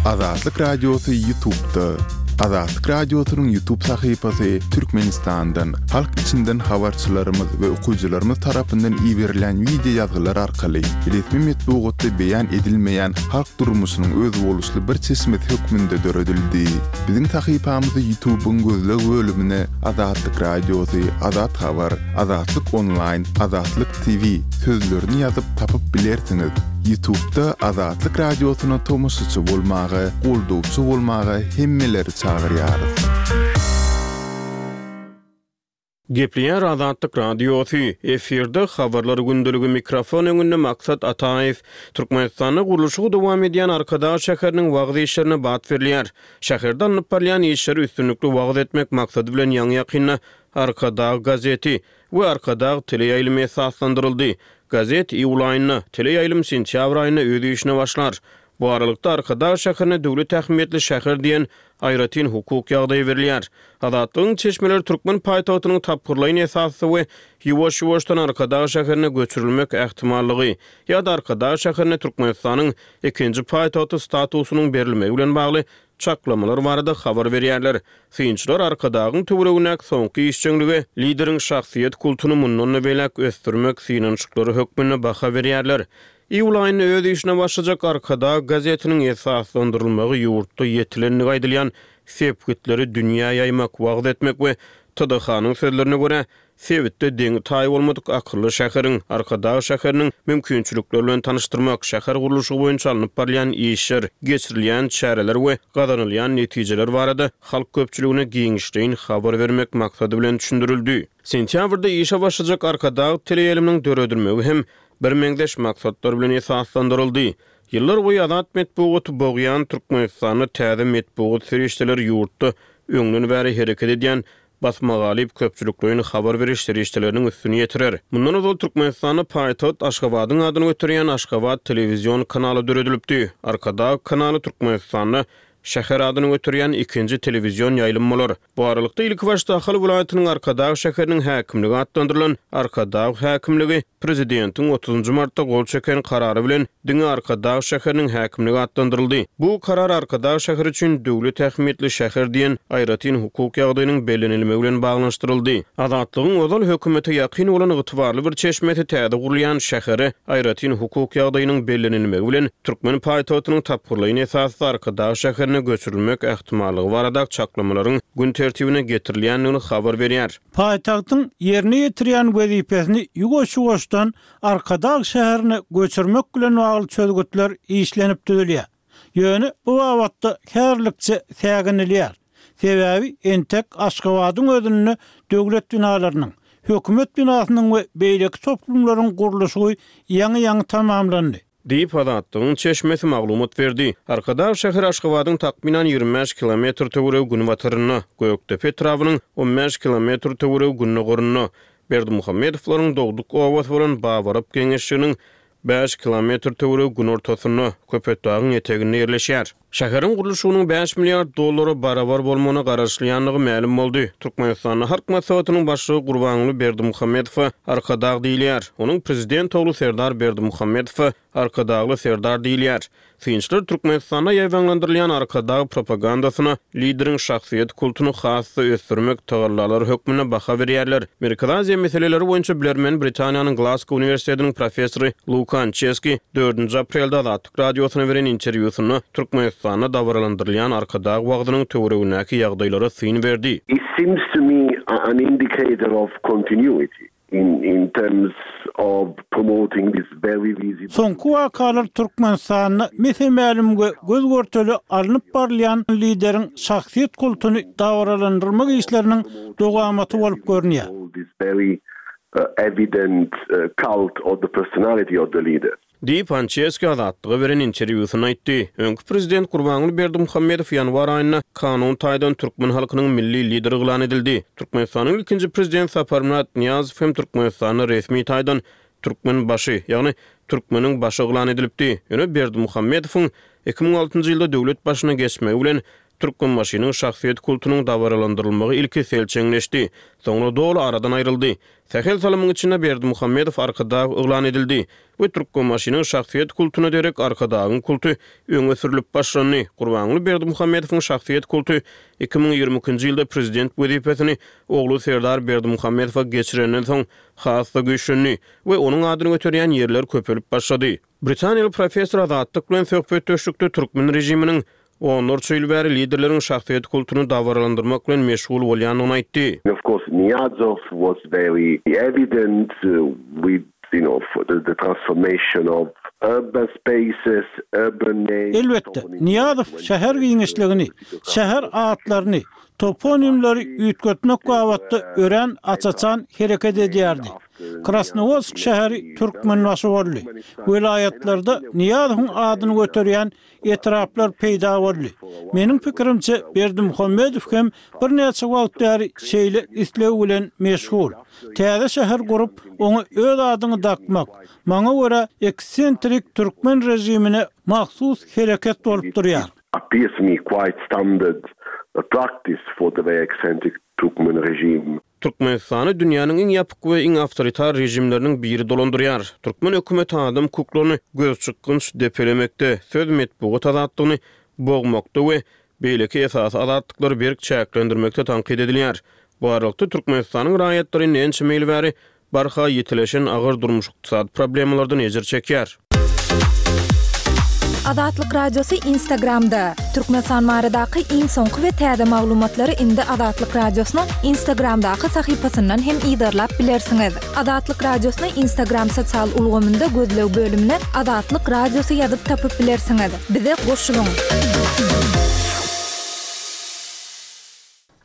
Azatlyk Radiosy Ýutubda. Azatlyk Radiosynyň Ýutub sahypasy Türkmenistandan, halk içinden habarçylarymyz we okyjylarymyz tarapyndan iberilýän wideo ýazgylar arkaly resmi metbugatda beýan edilmeýän halk durmuşynyň özboluşly bir çeşmesi hökmünde döredildi. Biziň sahypamyzy Ýutubyň gözleg bölümine Azatlyk Radiosy, Azat Habar, Azatlyk Onlaýn, Azatlyk TV sözlerini ýazyp tapyp bilersiňiz. Ýutubda Azatlyk Radiosyna tomaşaçy bolmaga, goldawçy bolmaga hemmeleri çagyrýarys. Gepleýär Azatlyk Radiosy, efirde Habarlar gündeligi mikrofon öňünde Maksat Ataýew. Türkmenistanda gurluşygy dowam edýän Arkadag şäheriniň wagyz işlerine bat berilýär. Şäherde alnyp barylýan işleri üstünlikli wagyz etmek maksady bilen ýaňy-ýakynda Arkadag gazeti we Arkadag teleýaýlymy esaslandyryldy. Gazet iýul aýynda, teleýaýlym sentýabr aýynda öz işine başlar. Bu aralykda, Arkadag şäherine döwlet ähmiýetli şäher diýen aýratyn hukuk ýagdaýy berilýär. Azatlygyň çeşmeleri türkmen paýtagtynyň tapgyrlaýyn esasda we ýuwaş-ýuwaşdan Arkadag şäherine göçürilmek ähtimallygy ýa-da Arkadag şäherine Türkmenistanyň ikinji paýtagty statusynyň berilmegi bilen bagly çaklamalar barada habar berýärler. Synçylar Arkadagyň töweregindäki soňky işjeňlige lideriň şahsyýet kultuny mundan-da beýläk ösdürmek synanyşyklary hökmünde baha berýärler. Iýul aýynda öz işine başlajak Arkadag gazetiniň esaslandyrylmagy ýurtda ýetilendigi aýdylýan sepgitleri dünýä ýaýmak, wagyz etmek we TDH-nyň sözlerine görä, sebitde deňi-taýy bolmadyk akylly şäheriň, Arkadag şäheriniň mümkinçilikleri bilen tanyşdyrmak, şäher gurluşygy boýunça alnyp barylýan işler, geçirilýän çäreler we gazanylýan netijeler barada halk köpçüligine giňişleýin habar bermek maksady bilen düşündirildi. Sentýabrda işe başlajak Arkadag teleýaýlymynyň döredilmegi hem birmeňzeş maksatlar bilen esaslandyryldy. Ýyllar boýy azat metbugaty bogýan Türkmenistanda täze metbugat serişdeleri ýurtda öňden bäri hereket edýän basmagalyp köpçülikleýin habar beriş serişdeleriniň üstüni ýetirer. Mundan ozal Türkmenistanda paýtagt Aşgabadyň adyny göterýän Aşgabat telewizion kanaly döredilipdi. Arkadag kanaly Türkmenistanda şäher adyny göterýän ikinji telewizion ýaýlym bolar. Bu aralykda, ilkibaşda Ahal welaýatynyň Arkadag şäheriniň häkimligi atlandyrylan Arkadag häkimligi Prezidentiň otuzynjy martda gol çeken Karary bilen diňe Arkadag şäheriniň häkimligi atlandyryldy. Bu Karar Arkadag şäheri üçin döwlet ähmiýetli şäher diýen aýratyn hukuk ýagdaýynyň bellenilmegi bilen baglanyşdyryldy. Azatlygyň ozal hökümete ýakyn bolan ygtybarly bir çeşmesi täze gurulýan şähere aýratyn hukuk ýagdaýynyň bellenilmegi bilen türkmen paýtagtynyň tapgyrlaýyn esasda Arkadag şäherine göçürilmek ähtimallygy barada çaklamalaryň gün tertibine getirilýändigini habar berýär. Paýtagtyň ýerine ýetirýän wezipesini ýuwaş-ýuwaşdan Arkadag şäherine göçürmek bilen bagly çözgütler işlenip düzülýär. Ýöne bu babatda häzirlikçe säginilýär. Sebäbi entek Aşgabadyň özünde döwlet binalarynyň, hökümet binasynyň we beýleki toplumlaryň gurluşygy ýaňy-ýaňy tamamlandy. Diýip, Azatlygyň çeşmesi maglumat berdi. Arkadag şäheri Aşgabadyň takmynan 25 kilometr töweregi günbatarynda, Gökdepe etrabynyň 15 kilometr töweregi gündogarynda, Berdimuhamedowlaryň dogduk obasy bolan Babarap geňeşliginiň bäş kilometr töweregi günortasynda, Köpetdagyň eteginde ýerleşýär. Şäheriň gurluşygynyň bäş milliard dollara barabar bolmagyna garaşylýandygy mälim boldy. Türkmenistanda Halk Maslahatynyň Başlygy Gurbanguly Berdimuhamedowa Arkadag diýilýär. Onuň prezident ogly Serdar Berdimuhamedowa Arkadagly Serdar diýilýär. Synçylar Türkmenistanda ýaýbaňlandyrylýan Arkadag propagandasyna lideriň şahsyýet kultuny has-da ösdürmek tagallalary hökmünde baha berýärler. Merkezi Aziýa meseleleri boýunça bilermen Britaniýanyň Glasgow uniwersitetiniň professory Luka Ançeski dördünji aprelde Azatlyk Radiosyna beren interwýusynda Türkmenistanda dabaralandyrylýan Arkadag wagzynyň töweregindäki ýagdaýlara syn berdi. It seems to me an indicator of continuity. In terms of promoting this very visible. Soňky wakalar Türkmenistanda mese-mälim we göz-görtele alnyp barylýan lideriň şahsyýet kultuny dabaralandyrmak işleriniň dowamaty bolup görünýär. This very evident cult of the personality of the leader. Diýip, Ançeski Azatlyga beren interwýusynda aýtdy. Öňki prezident Gurbanguly Berdimuhamedow ýanwar aýynda kanun taýdan türkmen halkynyň milli lideri yglan edildi. Türkmenistanyň ilkinji prezidenti Saparmyrat Nyýazow hem Türkmenistanda resmi taýdan Türkmenbaşy, ýagny Türkmeniň başy yglan edilipdi. Ýöne Berdimuhamedowyň 2006 ýylda döwlet başyna geçmegi bilen. Türkmenbaşynyň şahsyýet kultunyň dabaralandyrylmagy ilki selçeňleşdi, soňra doly aradan aýryldy. Sähel salymyň içinde Berdimuhamedow Arkadag yglan edildi we Türkmenbaşynyň şahsyýet kultuna derek Arkadagyň kulty öňe sürlüp başlandy. Gurbanguly Berdimuhamedowyň şahsyýet kulty 2022-nji ýylda prezident wezipesini ogly Serdar Berdimuhamedowa geçirenden soň has-da güýçlendi we onuň adyny göterýän ýerler köpelip başlady. Britaniýaly professor Azatlyk bilen söhbetdeşlikde türkmen režiminiň onlarça ýyl bäri liderleriň şahsyýet kultuny dabaralandyrmak bilen meşgul bolýandygyny aýtdy. Of course Niýazow was very evident with you know the transformation of urban spaces, urban names. Elbetde, Nyýazow şäher giňişligini, şäher atlaryny, toponimleri üýtgetmek babatda örän aç-açan hereket edýärdi. Krasnowodsk şäheri Türkmenbaşy boldy. Welaýatlarda Nyýazowyň adyny göterýän etraplar peýda boldy. Meniň pikirimçe, Berdimuhamedow hem birnäçe wagt bäri şeýle isleg bilen meşgul. Täze şäher gurup, oňa öz adyňy dakmak, maňa görä, eksentrik türkmen režimine mahsus hereket bolup durýar. Appears to me quite standard practice for the very eccentric Turkmen regime. Türkmenistany dünýäniň iň ýapyk we iň awtoritar režimleriniň biri dolandyrýar. Türkmen hökümeti adam hukuklaryny gözçykgynç depelemekde, söz, metbugat azatlygyny bogmakda we beýleki esasy azatlyklary berk çäklendirmekde tankyt edilýär. Bu aralykda, Türkmenistanyň raýatlary indi ençeme ýyl bäri barha ýitileşen agyr durmuş-ykdysady problemalardan ejir çekýär. Azatlyk Radiosy Instagramda! Türkmenistan baradaky iň soňky we täze maglumatlary indi Azatlyk Radiosynyň Instagramdaky sahypasyndan hem yzarlap bilersiňiz. Azatlyk Radiosyny Instagram sosial ulgamynda gözleg bölümine Azatlyk Radiosy ýazyp tapyp bilersiňiz. Bize goşulyň!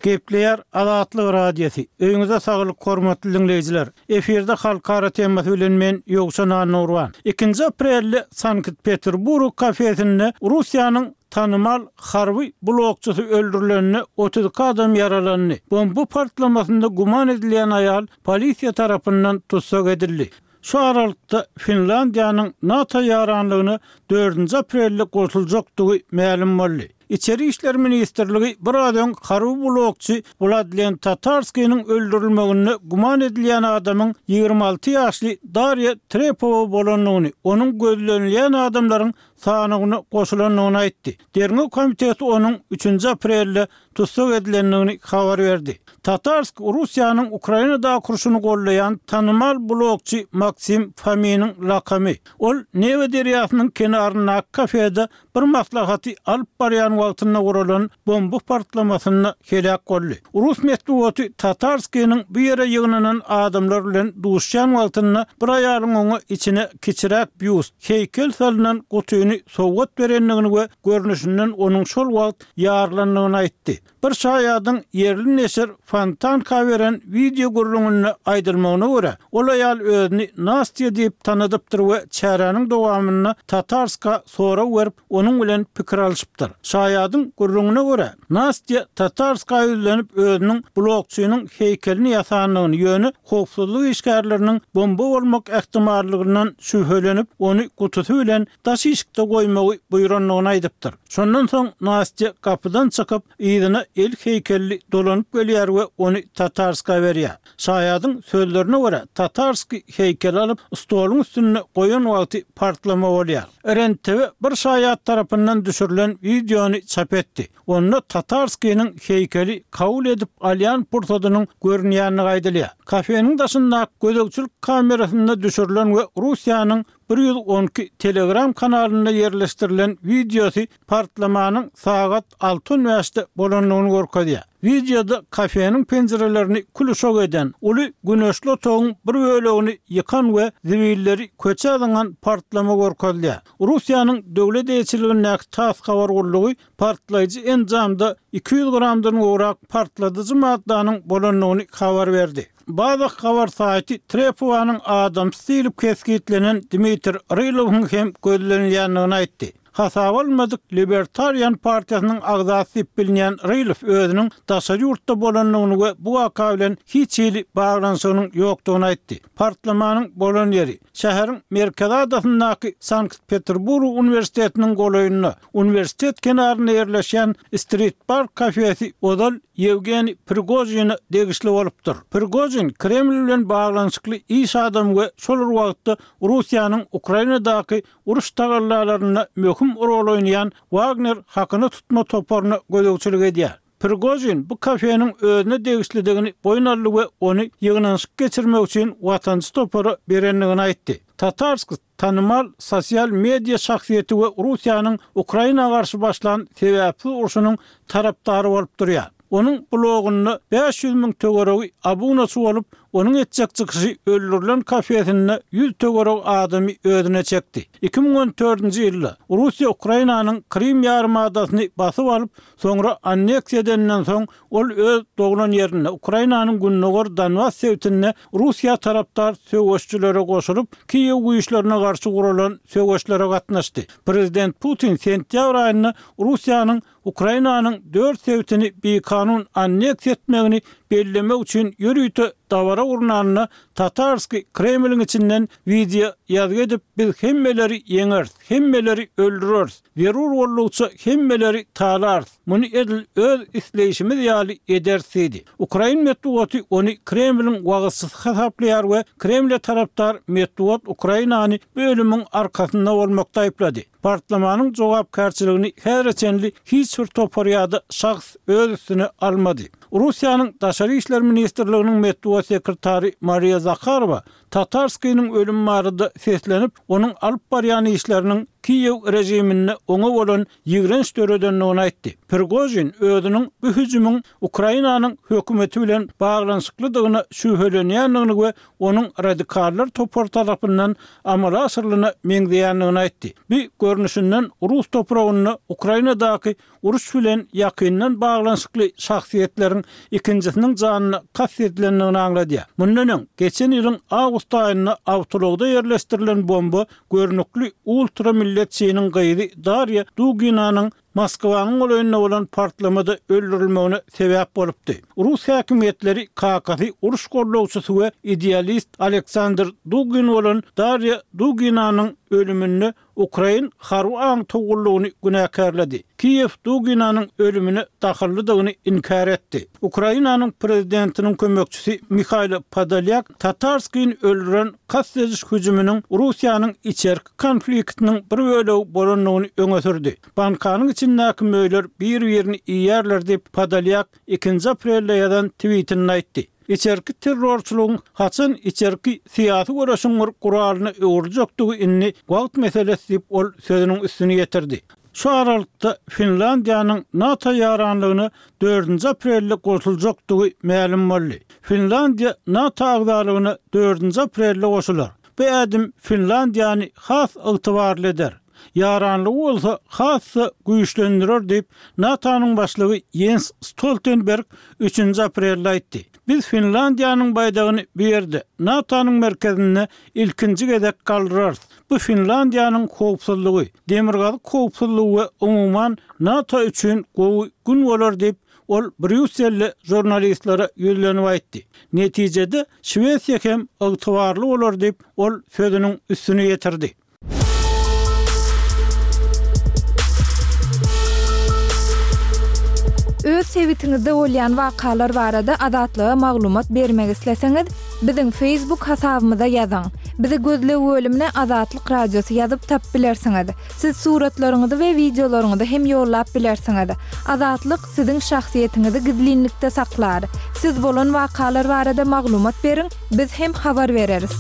Gepleýär Azatlyk Radiosy. Öýüňize saglyk hormatly diňleýjiler. Efirde halkara temasy bilen men Ýowşan Annagurban. Ikinji aprelde Sankt-Peterburg kafesinde Russiýanyň tanymal harby blogçysy öldürilende 32 adam ýaralandy. Bomba partlamasynda güman edilýän aýal polisiýa tarapyndan tussag edildi. Şu aralykda Finlandiýanyň NATO ýaranlygyna dördünji aprelde goşuljakdygy mälim boldy. Içeri işler ministrligi biraz öň harby blogçy Wladlen Tatarskiniň öldürilmeginde güman edilýän adamyň 26 ýaşly Darýa Trepowa bolandygyny, onuň gözlenilýän adamlaryň sanawyna goşulandygyny aýtdy. Derňew komiteti onuň üçünji aprelde tussag edilendigini habar berdi. Tatarsk Russiýanyň Ukrainadaky urşuny goldaýan tanymal blogçy Maksim Fominiň lakamy. Ol Newa derýasynyň kenaryndaky kafede bir maslahaty alyp barýan wagtynda guralan bomba partlamasynda heläk boldy. Rus metbugaty Tatarskiniň bu ýere ýygnanan adamlar bilen duşýan wagtynda bir aýalyň oňa içine kiçiräk býust, heýkel salnan gutyny sowgat berendigini we görnüşinden onuň şol wagt ýarylandygyny aýtdy. Bir şaýadyň ýerli neşir Fontanka beren wideo gürrüňinde aýdylmagyna görä, ol aýal özüni Nastýa diýip tanadypdyr we çäräniň dowamynda Tatarska sorag berip, onuň bilen pikir alşypdyr. Şaýadyň gürrüňine görä, Nastýa Tatarska ýüzlenip özüniň blogçynyň heýkelini ýasandygyny, ýöne howpsuzlyk işgärleriniň bomba bolmak ähtimallygyndan şübhelenip, ony gutusy bilen daş işikde goýmagy buýrandygyny aýdypdyr. Şondan soň Nastýa gapydan çykyp, yzyna el heýkelli dolanyp gelýär we ony Tatarskä berýär. Şaýadyň sözlerine görä, Tatarskiý heýkeli alyp, stoluň üstünde goýan wagty partlama bolýar. REN-TV bir şaýat tarapyndan düşürilen wideony çap etdi. Onda Tatarskiniň heýkeli kabul edip alýan pursadynyň görünýändigi aýdylýar. Kafeniň daşyndaky gözegçilik kamerasynda düşürilen we Russiýanyň 112 Telegram kanalynda ýerleşdirilen wideosy partlamanyň sagat alty on bäşde bolandygyny görkezýär. Wideoda kafeniň penjirelerini kül-uşak eden, uly güneşli otagyň bir bölegini ýykan we zibilleri köçä zyňan partlama görkezilýär. Russiýanyň döwlet eýeçiligindäki tass habar gullugy partlaýjy enjamda 200 gramdan gowrak partladyjy maddanyň bolandygyny habar berdi. Baza habar saýty Trepowanyň adamsy diýlip kesgitlenen Dmitriý Rylowyň hem gözlenilýändigini aýtdy. Hasaba alynmadyk Libertarian partiýasynyň agzasy diýip bilinýän Rylow özüniň daşary ýurtda bolandygyny we bu waka bilen hiç hili baglanyşygynyň ýokdugyny aýtdy. Partlamanyň bolan ýeri, şäheriň merkezi adasyndaky Sankt-Peterburg uniwersitetiniň golaýynda, uniwersitet kenarynda ýerleşýän Street Bar kafesi ozal Ýewgeniý Prigožine degişli bolupdyr. Prigožin Kreml bilen baglanyşykly iş adamy we şol bir wagtda Russiýanyň Ukrainadaky uruş tagallalarynda möhüm rol oýnaýan Wagner hakyna tutma toparyna gözegçilik edýär. Prigožin bu kafeniň özüne degişlidigini boýun aldy we ony ýygnanyşyk geçirmek üçin watançy topara berendigini aýtdy. Tatarsk tanymal sosial media şahsyýeti we Russiýanyň Ukraina garşy başlan sebäpsiz urşunyň tarapdary bolup durýar. Onuň blogunda 500 müň töweregi abunaçy bolup, onuň etjek çykyşy öldürilen kafesinde 100 töweregi adamy özüne çekdi. 2014-nji ýylda Russiýa Ukrainanyň Krym ýarymadasyny basyp alyp, soňra anneksiýa edeninden soň, ol öz doglan ýerinde, Ukrainanyň gündogar Donbas sebitinde Russiýa tarapdar söweşijilere goşulyp, Kiýew güýçlerine garşy guralan söweşlere gatnaşdy. Prezident Putin sentýabr aýynda Russiýanyň Ukrainanyň dört sebitini bikanun anneksiýa etmegini bellemek üçin ýörite dabara gurnanda Tatarskiý Kremliň içinden wideo ýazgy edip, Biz hemmeleri ýeňeris, hemmeleri öldüreris, zerur boldugyça hemmeleri talarys, muny edil öz isleýşimiz ýaly ederis diýdi. Ukrain metbugaty ony Kremliň wagyzçysy hasaplaýar we Kremle tarapdar metbugat Ukrainany bu ölümiň arkasynda bolmakda aýyplady. Partlamanyň jogapkärçiligini häzire çenli hiç bir topar ýa-da şahs öz üstüne almady. Russiýanyň Daşary işler ministrliginiň metbugat sekretary Mariýa Zaharowa Tatarskiniň ölümi barada seslenip, onuň alyp barýan işleriniň Kiýew režiminde oňa bolan ýigrenç döredendigini aýtdy. Prigožin özüniň bu hüjümiň Ukrainanyň hökümeti bilen baglanyşyklydygyna şübhelenýändigini we onuň radikallar topary tarapyndan amala aşyrylana meňzeýändigini aýtdy. Bu, görnüşinden, rus topragynda Ukrainadaky uruş bilen ýakyndan baglanyşykly şahsyýetleriň ikinjisiniň janyna kast edilendigini aňladýar. Mundan öň, geçen ýylyň awgust aýynda awtoulagda ýerleşdirilen bomba görnükli ultra-milletçiniň gyzy Darýa Duginanyň Moskwanyň golaýynda bolan partlamada öldürilmegine sebäp bolupdy. Rus häkimiýetleri kakasy uruş gollawçysy we idealist Aleksandr Dugin bolan Darýa Duginanyň ölüminde ukrain harby aňtaw gullugyny günäkärledi. Kiýew Duginanyň ölümine dahyllydygyny inkär etdi. Ukrainanyň prezidentiniň kömekçisi Mihailo Podolýak Tatarskini öldüren kast ediş hüjüminiň Russiýanyň içerki konfliktiniň bir bölegi bolandygyny öňe sürdi. Bankanyň içindäki möýler bir-birini iýýärler diýip, Podolýak ikinji aprelde ýazan twitinde aýtdy. Içerki terrorçylygyň haçan içerki syýasy göreşiň bir guralyna öwrüljekdigi indi wagt meselesi diýip, ol sözüniň üstüni ýetirdi. Şu aralykda, Finlandiýanyň NATO ýaranlygyna dördünji aprelde goşuljakdygy mälim boldy. Finlandiýa NATO agzalygyna dördünji aprelde goşular. Bu ädim Finlandiýany has ygtybarly eder, ýaranlygy bolsa has-da güýçlendirer diýip, NATO-nyň başlygy Ýens Stoltenberg üçünji aprelde aýtdy. Biz Finlandiýanyň baýdagyny bu ýerde, NATO-nyň merkezinde ilkinji gezek galdyrarys. Bu Finlandiýanyň howpsuzlygy, demirgazyk howpsuzlygy we umuman NATO üçin gowy gün bolar diýip, Ol Brýusselde žurnalistlere ýüzlenip aýtdy. Netijede, Şwesiýa hem ygtybarly bolar diýip, ol sözüniň üstüni ýetirdi. Öz sebitiňizde bolýan wakalar barada Azatlyga maglumat bermek isleseňiz, biziň Facebook hasabymyza ýazyň. Bizi gözleg bölümine Azatlyk Radiosy ýazyp tapyp bilersiňiz. Siz suratlaryňyzy we wideolaryňyzy hem ýollap bilersiňiz. Azatlyk siziň şahsyýetiňizi gizlinlikde saklar. Siz bolan wakalar barada maglumat beriň, biz hem habar bereris.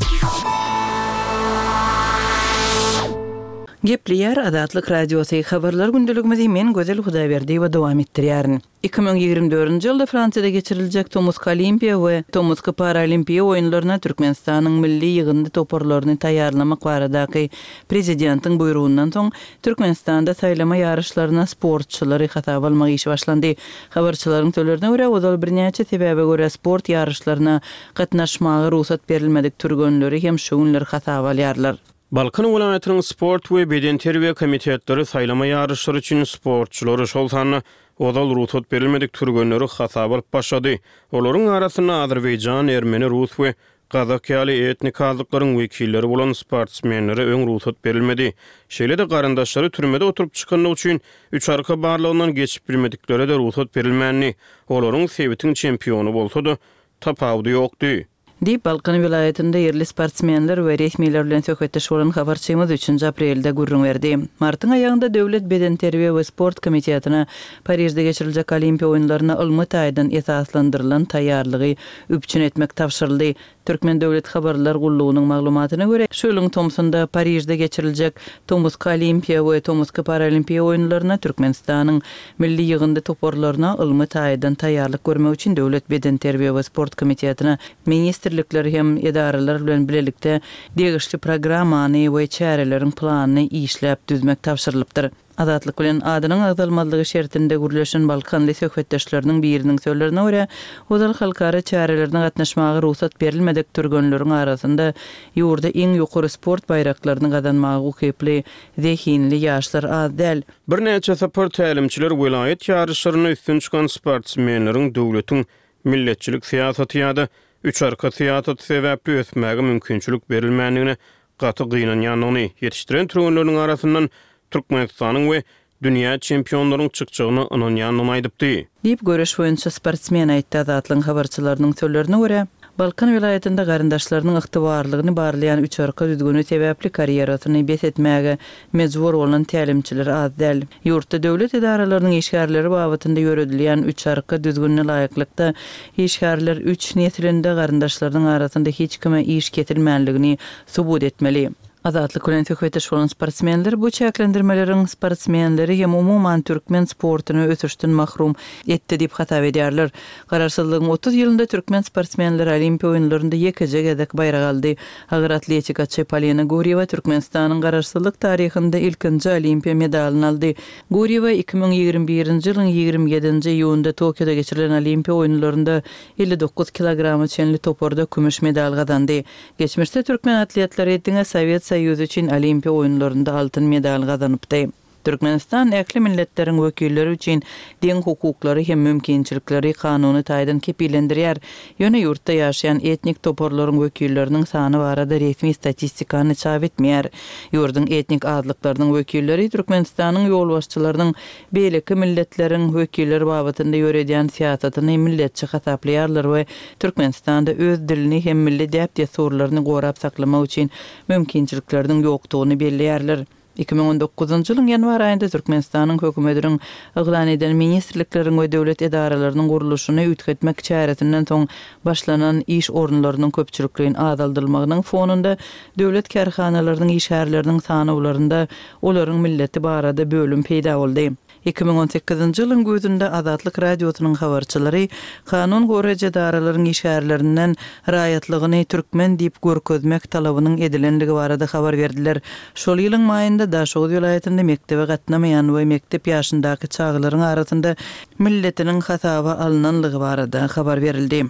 Gepleýär Azatlyk Radiosy, Habarlar gündeligimizi men Gözel Hudaýberdiýewa dowam etdirýärin. 2024-nji ýylda Fransiýada geçiriljek tomusky Olimpiýa we tomusky Paralimpiýa oýunlaryna Türkmenistanyň milli ýygyndy toparlaryny taýýarlamak baradaky Prezidentiň buýrugyndan soň, Türkmenistanda saýlama ýaryşlaryna sportçylary hasaba almak işi başlandy. Habarçylaryň sözlerine görä, ozal birnäçe sebäbe görä sport ýaryşlaryna gatnaşmaga rugsat berilmedik türgenleri hem şu günler hasaba alýarlar. Balkan welaýatynyň sport we bedenterbiýe komitetleri saýlama ýaryşlary üçin sportçulary, şol sanda ozal rugsat berilmedik türgenleri hasaba alyp başlady. Olaryň arasynda azerbaýjan, ermeni, rus we gazak ýaly etnik azlyklaryň wekilleri bolan sportsmenlere öň rugsat berilmedi. Şeýle-de garyndaşlary türmede oturyp çykandygy üçin üç arka barlagyndan geçip bilmediklere-de rugsat berilmändi. Olaryň sebitiň çempiony bolsa-da, tapawudy ýokdy. Diýip, Balkan welaýatynda ýerli sportsmenler we resmiler bilen söhbetdeş bolan habarçymyz üçünji aprelde gürrüň berdi. Martyň aýagynda Döwlet bedenterbiýe we sport komitetine Parižde geçiriljek Olimpiýa oýunlaryna ylmy taýdan esaslandyrylan taýýarlygy üpjün etmek tabşyryldy. Türkmen döwlet habarlar gullugynyň maglumatyna görä, şu ýylyň tomsunda Parižde geçiriljek Tomusky Olimpiýa we Tomusky Paralimpiýa oýunlaryna Türkmenistanyň Milli ýygyndy toparlaryna ylmy taýdan taýýarlyk görmek üçin Döwlet bedenterbiýe we sport komitetine ministrlikler hem edaralar bilen bilelikde degişli programmany we çäreleriň planyny işläp düzmek tabşyrylypdyr. Azatlyk bilen adynyň agzalmazlygy şertinde gürleşen balkanly söhbetdeşleriniň biriniň sözlerine görä, ozal halkara çärelerine gatnaşmaga rugsat berilmedik türgenleriň arasynda ýurda iň ýokary sport baýraklaryny gazanmaga ukyply zehinli ýaşlar az däl. Birnäçe sapar tälimçiler welaýat ýaryşlarynda üstün çykan sportsmenleriň döwletiň milletçilik syýasaty ýa-da üç arka syýasaty sebäpli ösmäge mümkinçilik berilmändigine gaty gynanýandygyny, ýetişdiren türgenleriniň arasyndan Türkmenistanyň we dünýä çempionlaryň çykjagyna ynanýandygyny aýdypdy. Diýip, göreş boýunça sportsmen aýtdy. Azatlygyň habarçylarynyň sözlerine görä, Balkan welaýatynda garyndaşlarynyň ygtybarlygyny barlaýan üçarka düzgüni sebäpli karýerasyny bes etmäge mejbur bolan tälimçiler az däl. Ýurtda döwlet edaralarynyň işgärleri babatynda ýöredilýän üçarka düzgünine laýyklykda, işgärler üç neslinde garyndaşlarynyň arasynda hiç kime iş kesilmänligini subut etmeli. Azatlyk bilen söhbetdeş bolan sportsmenler bu çäklendirmeleriň sportsmenleri hem umuman türkmen sportuny ösüşden mahrum etdi diýip hasap edýärler. Garaşsyzlygyň 30 ýylynda türkmen sportsmenleri Olimpiýa oýunlarynda ýekeje gezek baýrak aldy. Agyr atletikaçy Polina Gurýewa Türkmenistanyň garaşsyzlyk taryhynda ilkinji Olimpiýa medalyny aldy. Gurýewa 2021-nji ýylyň 27-nji iýunynda Tokioda geçirilen Olimpiýa oýunlarynda 59 kilograma çenli toparda kümüş medal gazandy. Geçmişde türkmen atletleri diňe Sowet Soýuzy üçin Olimpiýa oýunlarynda altyn medal gazanypdy. Türkmenistan ähli milletleriň wekilleri üçin deň hukuklary hem mümkinçilikleri kanuny taýdan kepillendirýär. Ýöne ýurtda ýaşaýan etnik toparlaryň wekilleriniň sany barada resmi statistikany çap etmeýär. Ýurduň etnik azlyklarynyň wekilleri Türkmenistanyň ýolbaşçylarynyň beýleki milletleriň wekilleri babatynda ýöredýän syýasatyny milletçi hasaplaýarlar we Türkmenistanda öz dilini hem milli däp-dessurlaryny gorap saklamak üçin mümkinçilikleriniň ýokdugyny belleýärler. 2019-njy ýylyň ýanwar aýynda Türkmenistanyň Hökümetiniň yglan eden ministrlikleriň we döwlet edaralarynyň gurluşyny üýtgetmek çäresinden soň başlanan iş orunlarynyň köpçülikleýin azaldylmagynyň fonunda döwlet kärhanalarynyň işgärleriniň sanawlarynda olaryň milleti barada bölüm peýda boldy. 2018-nji ýylyň güýzünde Azatlyk Radiosynyň habarçylary kanun goraýjy edaralaryň işgärlerinden raýatlygyny türkmen diýip görkezmek talabynyň edilendigi barada habar berdiler. Şol ýylyň maýynda Daşoguz welaýatynda mekdebe gatnamaýan we mekdep ýaşyndaky çagalaryň arasynda milletiniň hasaba alnanlygy barada habar berildi.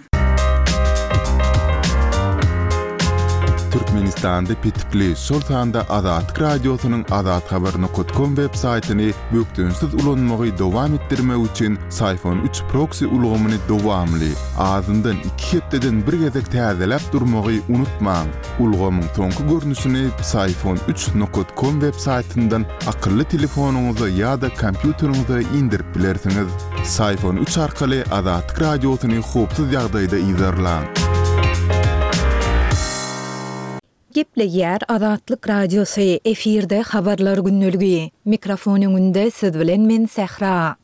Türkmenistanda petikli, şol sanda Azatlyk Radiosynyň azathabar nokat kom web saýtyny bökdençsiz ulanmagy dowam etdirmek üçin Syfon üç proksi ulgamyny dowamly, azyndan iki hepdeden bir gezek täzeläp durmagy unutmaň. Ulgamyň soňky görnüşini Psiphon üç nokat kom web saýtyndan akylly telefonyňyza ýa-da kompýuteriňize indirip bilersiňiz. Psiphon üç arkaly Azatlyk Radiosyny howpsuz ýagdaýda yzarlaň. Gepleýär Azatlyk Radiosy, efirde Habarlar gündeligi. Mikrofon öňünde siz bilen men Sähra.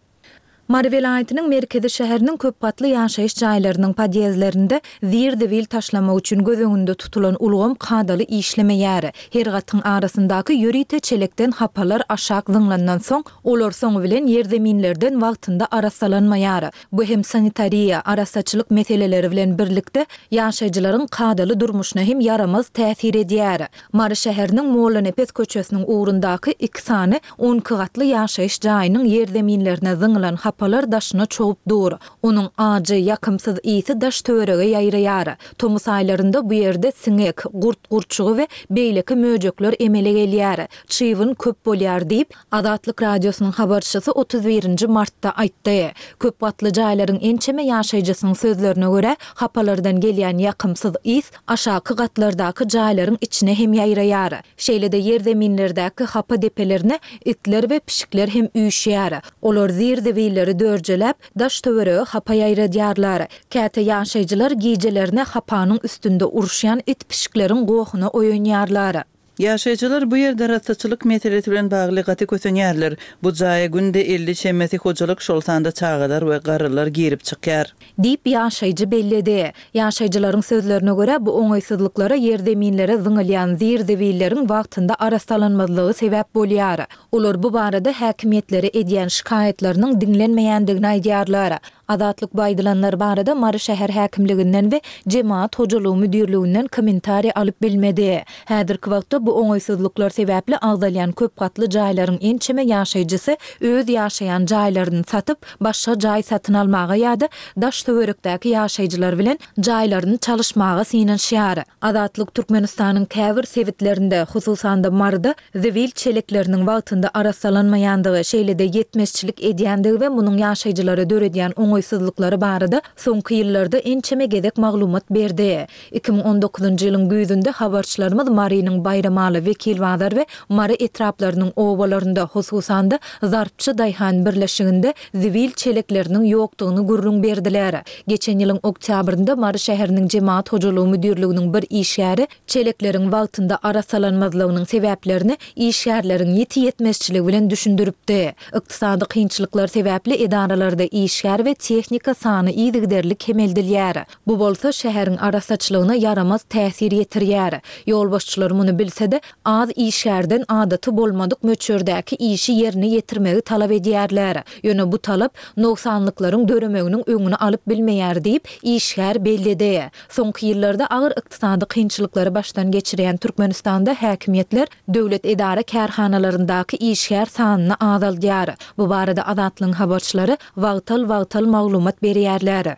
Mary welaýatynyň merkezi şäheriniň köp gatly ýaşaýyş jaýlarynyň podýezdlerinde zir-zibil taşlamak üçin göz öňünde tutulan ulgam kadaly işlemeýär. Her gatyň arasyndaky ýörite çelekden hapalar aşak zyňlandan soň, olar soňy bilen ýerzeminlerden wagtynda arassalanmaýar. Bu hem sanitariýa, arassaçylyk meseleleri bilen birlikde, ýaşaýjylaryň kadaly durmuşyna hem ýaramaz täsir edýär. Mary şäheriniň Mollanepes köçesiniň ugrundaky iki sany on iki gatly ýaşaýyş jaýynyň ýerzeminlerine zyňylan hapalar. hapalar daşyna çogup dur. Onuň ajy, ýakymsyz ysy daş-töwerege ýaýraýar. Tomus aýlarynda bu ýerde siňek, gurt-gurçugy we beýleki möjekler emele gelýär. Çybyn köp bolýar diýip, Azatlyk Radiosynyň habarçysy 31 nji martda aýtdy. Köp gatly jaýlaryň ençeme ýaşaýjysynyň sözlerine görä, hapalardan gelýän ýakymsyz ys aşaky gatlardaky jaýlaryň içine hem ýaýraýar. Şeýle-de ýerzeminlerdäki hapa depelerine itler we pişikler hem üýşýär. Olar zir-zibilleri dörjeläp, daş-töwerege hapa ýaýradýarlar. Käte ýaşaýjylar gijelerine hapanyň üstünde uruşýan it-pişikleriň gohuna oýanýarlar. Ýaşaýjylar bu ýerde arassaçylyk meselesi bilen bagly gaty kösenýärler. Bu jaýa günde 50 çemesi hojalyk, şol sanda çagalar we garrylar girip çykýar. Diýip, ýaşaýjy belledi. Ýaşaýjylaryň sözlerine görä, bu oňaýsyzlyklara ýerzeminlere zyňylýan zir-zibilleriň wagtynda arassalanmazlygy sebäp bolýar. Olar bu barada häkimiýetlere edýän şikaýatlarynyň diňlenmeýändigini aýdýarlar. Azatlyk bu aýdylanlar barada Mary şäher häkimliginden we Jemagat hojalygy müdirliginden kommentariý alyp bilmedi. Häzirki wagtda bu oňaýsyzlyklar sebäpli agzalýan köp gatly jaýlaryň ençeme ýaşaýjysy öz ýaşaýan jaýlaryny satyp, başga jaý satyn almaga ýa-da daş-töwerekdäki ýaşaýjylar bilen jaýlaryny çalyşmaga synanyşýar. Azatlyk Türkmenistanyň käbir sebitlerinde, hususan-da Maryda zibil çelekleriniň wagtynda arassalanmaýandygy, şeýle-de ýetmezçilik edýändigi we munuň ýaşaýjylara döredýän oňaýsyzlyklary barada soňky ýyllarda ençeme gezek maglumat berdi. 2019-njy ýylyň güýzünde habarçylarymyz Marynyň Baýramaly, Wekilbazar we Mary etraplarynyň obalarynda, hususan-da, Zarpçy daýhan birleşiginde zibil çelekleriniň ýokdugyny gürrüň berdiler. Geçen ýylyň oktýabrynda Mary şäheriniň Jemagat hojalygy müdirliginiň bir işgäri çelekleriň wagtynda arassalanmazlygynyň sebäplerini işgärleriň ýiti ýetmezçiligi bilen düşündiripdi. Ykdysady kynçylyklar sebäpli edaralarda işgär we tehnika sany yzygiderli kemeldilýär. Bu bolsa şäheriň arassaçylygyna ýaramaz täsir ýetirýär. Ýolbaşçylar muny bilse-de, az işgärden adaty bolmadyk möçberdäki işi ýerine ýetirmegi talap edýärler. Ýöne bu talap nogsanlyklaryň döremeginiň öňüni alyp bilmeýär diýip, işgär belledi. Soňky ýyllarda agyr ykdysady kynçylyklary başdan geçirýän Türkmenistanda häkimiýetler döwlet edara-kärhanalaryndaky işgär sanyny azaldýar. Bu barada Azatlygyň habarçylary wagtal-wagtal maglumat berýärler.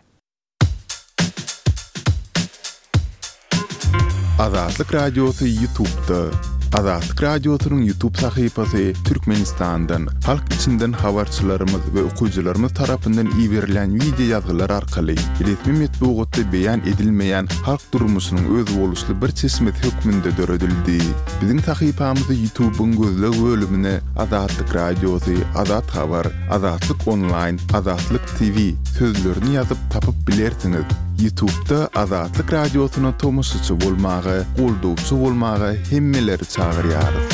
Azatlyk Radiosy Ýutubda. Azatlyk Radiosynyň Ýutub sahypasy Türkmenistandan, halk içinden habarçylarymyz we okyjylarymyz tarapyndan iberilýän wideo ýazgylar arkaly resmi metbugatda beýan edilmeýän halk durmuşynyň özboluşly bir çeşmesi hökmünde döredildi. Biziň sahypamyzy Ýutubyň gözleg bölümine Azatlyk Radiosy, Azat Habar, Azatlyk Onlaýn, Azatlyk TV sözlerini ýazyp tapyp bilersiňiz. Ýutubda Azatlyk Radiosyna tomaşaçy bolmaga, goldawçy bolmaga hemmeleri çagyrýarys.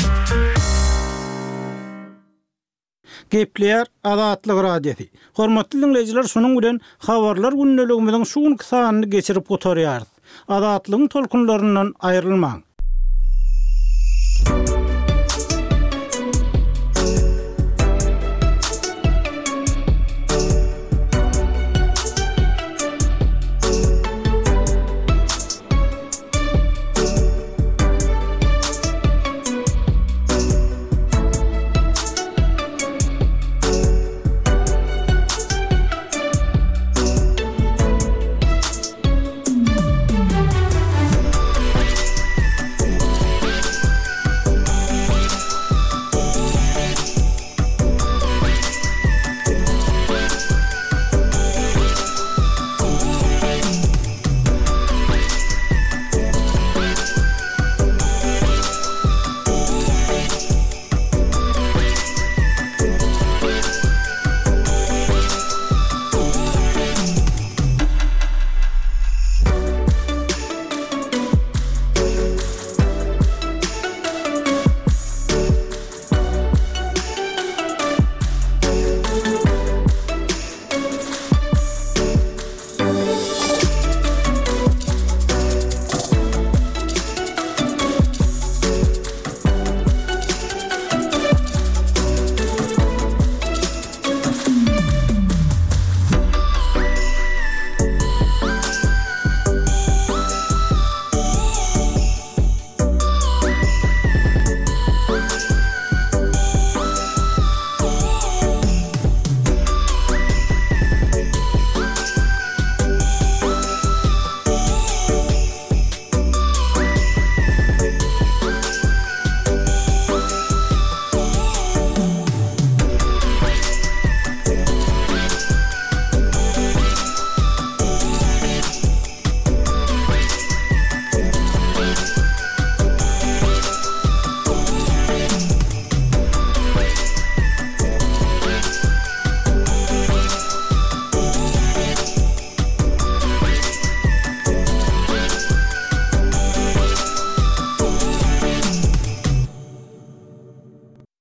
Gepleýär Azatlyk Radiosy. Hormatly diňleýjiler şunuň bilen Habarlar gündeligimiziň şu günki sanyny geçirip gutarýarys. Azatlygyň tolkunlaryndan aýrylmaň.